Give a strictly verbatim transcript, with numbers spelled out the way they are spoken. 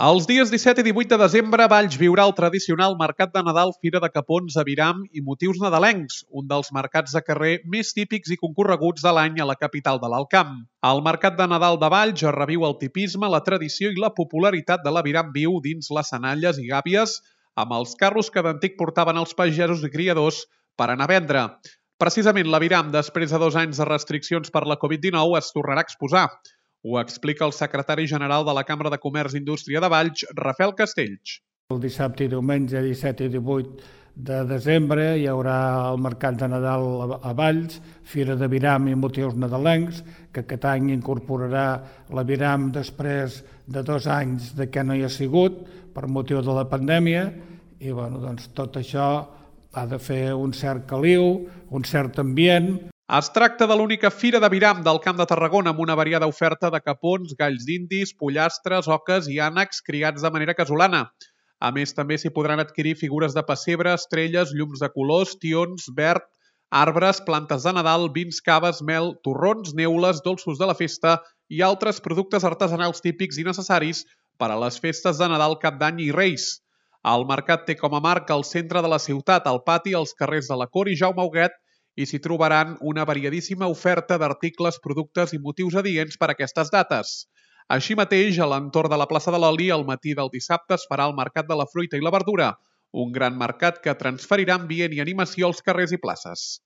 Els dies disset i divuit de desembre, Valls viurà el tradicional Mercat de Nadal Fira de Capons, Aviram i motius nadalencs, un dels mercats de carrer més típics i concorreguts de l'any a la capital de l'Alt Camp. El Mercat de Nadal de Valls reviu el tipisme, la tradició i la popularitat de l'Aviram viu dins les senalles i gàbies, amb els carros que d'antic portaven els pagesos i criadors per anar a vendre. Precisament l'Aviram, després de dos anys de restriccions per la Covid dinou, es tornarà a exposar. Ho explica el secretari general de la Cambra de Comerç i Indústria de Valls, Rafael Castells. El dissabte i diumenge, disset i divuit de desembre, hi haurà el Mercat de Nadal a Valls, Fira d'Aviram i motius nadalencs, que aquest any incorporarà l'Aviram després de dos anys de que no hi ha sigut, per motiu de la pandèmia, i bueno, doncs, tot això ha de fer un cert caliu, un cert ambient. Es tracta de l'única fira d'Aviram del Camp de Tarragona amb una variada oferta de capons, galls d'indis, pollastres, oques i ànecs criats de manera casolana. A més, també s'hi podran adquirir figures de pessebre, estrelles, llums de colors, tions, verd, arbres, plantes de Nadal, vins, caves, mel, torrons, neules, dolços de la festa i altres productes artesanals típics i necessaris per a les festes de Nadal, Cap d'Any i Reis. El mercat té com a marca el centre de la ciutat, al pati, als carrers de la Cor i Jaume Huguet, i s'hi trobaran una variadíssima oferta d'articles, productes i motius adients per a aquestes dates. Així mateix, a l'entorn de la plaça de l'Oli, al matí del dissabte es farà el Mercat de la Fruita i la Verdura, un gran mercat que transferirà ambient i animació als carrers i places.